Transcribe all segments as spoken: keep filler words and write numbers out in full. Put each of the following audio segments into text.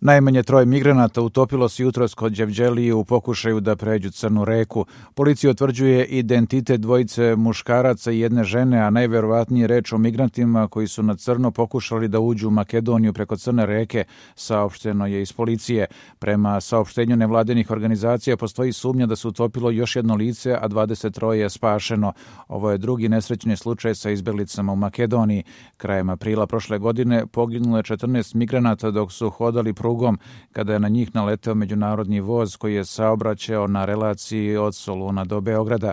Najmanje troje migranata utopilo se jutros kod Đevđelije u pokušaju da pređu Crnu reku. Policija utvrđuje identitet dvojice muškaraca i jedne žene, a najverovatnije reč o migrantima koji su na crno pokušali da uđu u Makedoniju preko Crne reke, saopšteno je iz policije. Prema saopštenju nevladinih organizacija postoji sumnja da se utopilo još jedno lice, a dvadeset troje je spašeno. Ovo je drugi nesrećni slučaj sa izbeglicama u Makedoniji. Krajem aprila prošle godine poginulo je četrnaest migranata dok su hodali prugom kada je na njih naleteo međunarodni voz koji je saobraćao na relaciji od Soluna do Beograda.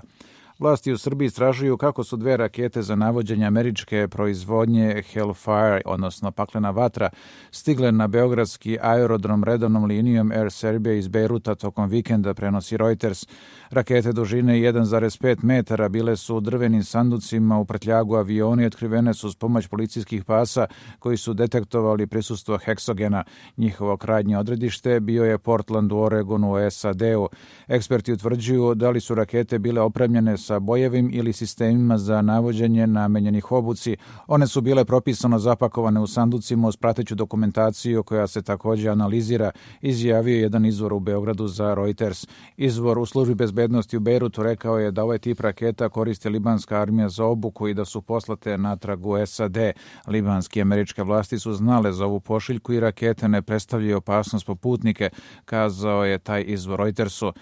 Vlasti u Srbiji istražuju kako su dve rakete za navođenje američke proizvodnje Hellfire, odnosno paklena vatra, stigle na beogradski aerodrom redovnom linijom Air Serbia iz Bejruta tokom vikenda, prenosi Reuters. Rakete dužine jedan zarez pet metara bile su u drvenim sanducima u prtljagu aviona i otkrivene su s pomoć policijskih pasa koji su detektovali prisustvo heksogena. Njihovo krajnje odredište bio je Portland u Oregonu u S A D-u. Eksperti utvrđuju da li su rakete bile opremljene sa bojevim ili sistemima za navođenje namenjenih obuci. One su bile propisano zapakovane u sanducima uz prateću dokumentaciju koja se također analizira, izjavio jedan izvor u Beogradu za Reuters. Izvor u službi bezbednosti u Bejrutu rekao je da ovaj tip raketa koristi libanska armija za obuku i da su poslate natrag u S A D. Libanski i američke vlasti su znale za ovu pošiljku i rakete ne predstavljaju opasnost po putnike, kazao je taj izvor Reutersu.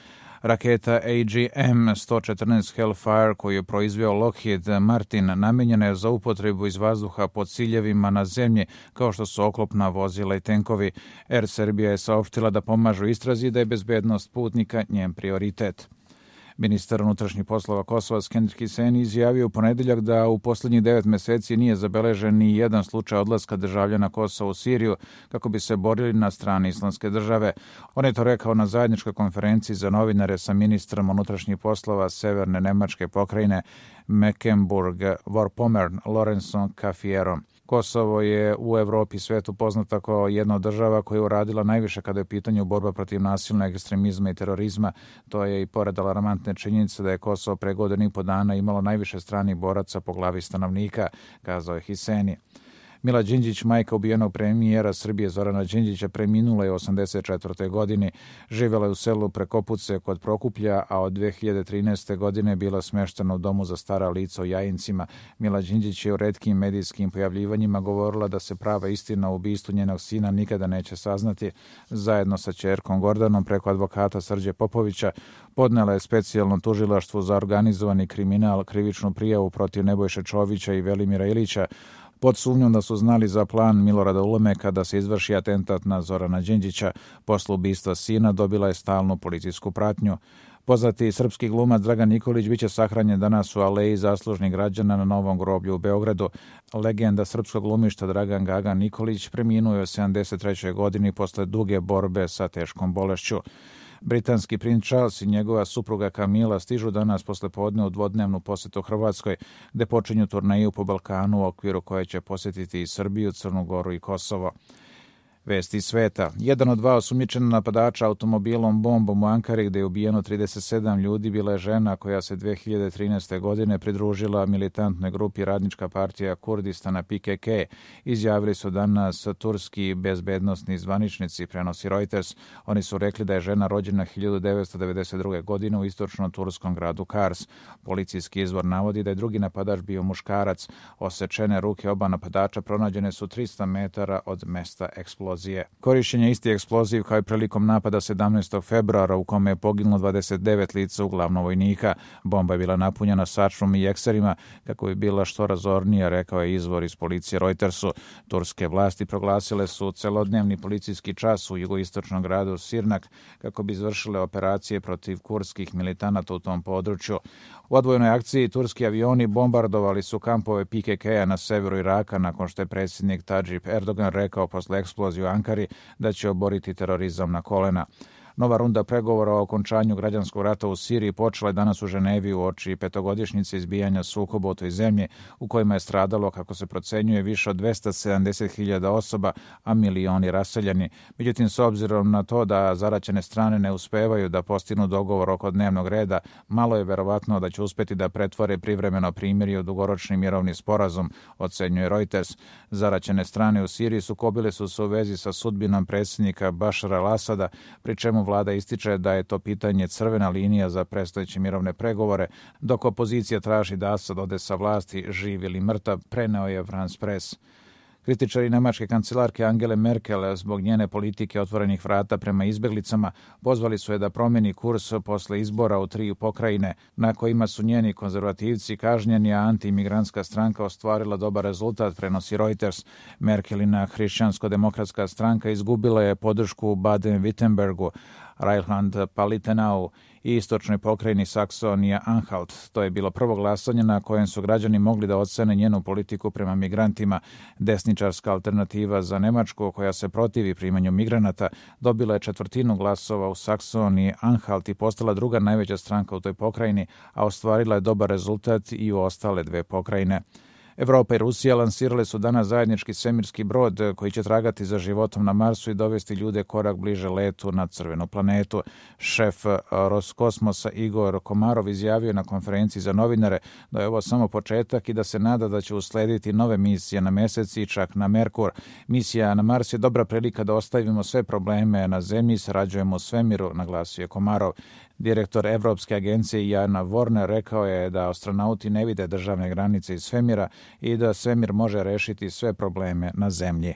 Raketa A G M sto četrnaest Hellfire koju je proizveo Lockheed Martin namenjena je za upotrebu iz vazduha pod ciljevima na zemlji kao što su oklopna vozila i tenkovi. Air Serbia je saopštila da pomažu istrazi i da je bezbednost putnika njen prioritet. Ministar unutrašnjih poslova Kosova Skender Hiseni izjavio u ponedeljak da u posljednjih devet meseci nije zabeležen ni jedan slučaj odlaska državljana Kosova u Siriju kako bi se borili na strani Islamske države. On je to rekao na zajedničkoj konferenciji za novinare sa ministrom unutrašnjih poslova Severne Nemačke pokrajine Mecklenburg-Vorpommern Lorenzom Kafierom. Kosovo je u Evropi i svetu poznata kao jedna od država koja je uradila najviše kada je u pitanju borba protiv nasilnog ekstremizma i terorizma. To je i pored alarmantne činjenice da je Kosovo pre godinu i po dana imalo najviše stranih boraca po glavi stanovnika, kazao je Hiseni. Mila Đinđić, majka ubijenog premijera Srbije Zorana Đinđića, preminula je u osamdeset četvrtoj godini. Živjela je u selu Prekopuce kod Prokuplja, a od dve hiljade trinaeste. godine bila smeštena u domu za stara lica u Jajincima. Mila Đinđić je u retkim medijskim pojavljivanjima govorila da se prava istina o ubistvu njenog sina nikada neće saznati. Zajedno sa ćerkom Gordanom preko advokata Srđe Popovića podnela je specijalno tužilaštvu za organizovani kriminal krivičnu prijavu protiv Nebojše Čovića i Velimira Ilića pod sumnjom da su znali za plan Milorada Ulemeka da se izvrši atentat na Zorana Đinđića. Posle ubistva sina dobila je stalnu policijsku pratnju. Poznati srpski glumac Dragan Nikolić biće sahranjen danas u Aleji zaslužnih građana na Novom groblju u Beogradu. Legenda srpskog glumišta Dragan Gaga Nikolić preminuo je u sedamdeset trećoj. godini posle duge borbe sa teškom bolešću. Britanski princ Charles i njegova supruga Kamila stižu danas posle podne u dvodnevnu posetu Hrvatskoj, gde počinju turneju po Balkanu u okviru koje će posjetiti i Srbiju, Crnu Goru i Kosovo. Vesti sveta. Jedan od dva osumnjičena napadača automobilom bombom u Ankari gde je ubijeno trideset sedam ljudi bila je žena koja se dve hiljade trinaeste. godine pridružila militantnoj grupi Radnička partija Kurdistana P K K. Izjavili su danas turski bezbednosni zvaničnici, prenosi Reuters. Oni su rekli da je žena rođena hiljadu devetsto devedeset druge. godine u istočno-turskom gradu Kars. Policijski izvor navodi da je drugi napadač bio muškarac. Osečene ruke oba napadača pronađene su trista metara od mesta eksplozije. Korišćenje isti eksploziv kao i prilikom napada sedamnaestog februara u kome je poginulo dvadeset devet lica uglavnom vojnika. Bomba je bila napunjena sačmom i ekserima kako bi bila što razornija, rekao je izvor iz policije Reutersu. Turske vlasti proglasile su celodnevni policijski čas u jugoistočnom gradu Sirnak kako bi izvršile operacije protiv kurdskih militanata u tom području. U odvojenoj akciji turski avioni bombardovali su kampove P K K-a na severu Iraka nakon što je predsjednik Tadžip Erdogan rekao posle eksplozije u Ankari da će oboriti terorizam na kolena. Nova runda pregovora o okončanju građanskog rata u Siriji počela je danas u Ženevi uoči petogodišnjice izbijanja sukoba u toj zemlji u kojima je stradalo, kako se procenjuje, više od dvesta sedamdeset hiljada osoba, a milioni raseljeni. Međutim, s obzirom na to da zaraćene strane ne uspevaju da postignu dogovor oko dnevnog reda, malo je verovatno da će uspeti da pretvore privremeno primirje u dugoročni mirovni sporazum, ocenjuje Reuters. Zaraćene strane u Siriji sukobile su se u vezi sa sudbinom predsjednika Bašara al-Asada, pri čemu vlada ističe da je to pitanje crvena linija za predstojeće mirovne pregovore, dok opozicija traži da Asad ode sa vlasti, živ ili mrtav, preneo je France Press. Kritičari nemačke kancelarke Angele Merkel zbog njene politike otvorenih vrata prema izbeglicama pozvali su je da promeni kurs posle izbora u tri pokrajine na kojima su njeni konzervativci kažnjeni, a antiimigrantska stranka ostvarila dobar rezultat, prenosi Reuters. Merkelina hrišćansko-demokratska stranka izgubila je podršku u Baden-Württembergu, Rheinland-Palatinau i istočnoj pokrajini Saksonija-Anhalt. To je bilo prvo glasanje na kojem su građani mogli da ocene njenu politiku prema migrantima. Desničarska alternativa za Nemačku, koja se protivi primanju migranata, dobila je četvrtinu glasova u Saksoniji-Anhalt i postala druga najveća stranka u toj pokrajini, a ostvarila je dobar rezultat i u ostale dve pokrajine. Evropa i Rusija lansirale su danas zajednički svemirski brod koji će tragati za životom na Marsu i dovesti ljude korak bliže letu na crvenu planetu. Šef Roskosmosa Igor Komarov izjavio na konferenciji za novinare da je ovo samo početak i da se nada da će uslediti nove misije na Mesec i čak na Merkur. Misija na Mars je dobra prilika da ostavimo sve probleme na Zemlji i sarađujemo u svemiru, naglasio je Komarov. Direktor Evropske agencije Jana Vorner rekao je da astronauti ne vide državne granice iz svemira i da svemir može rešiti sve probleme na Zemlji.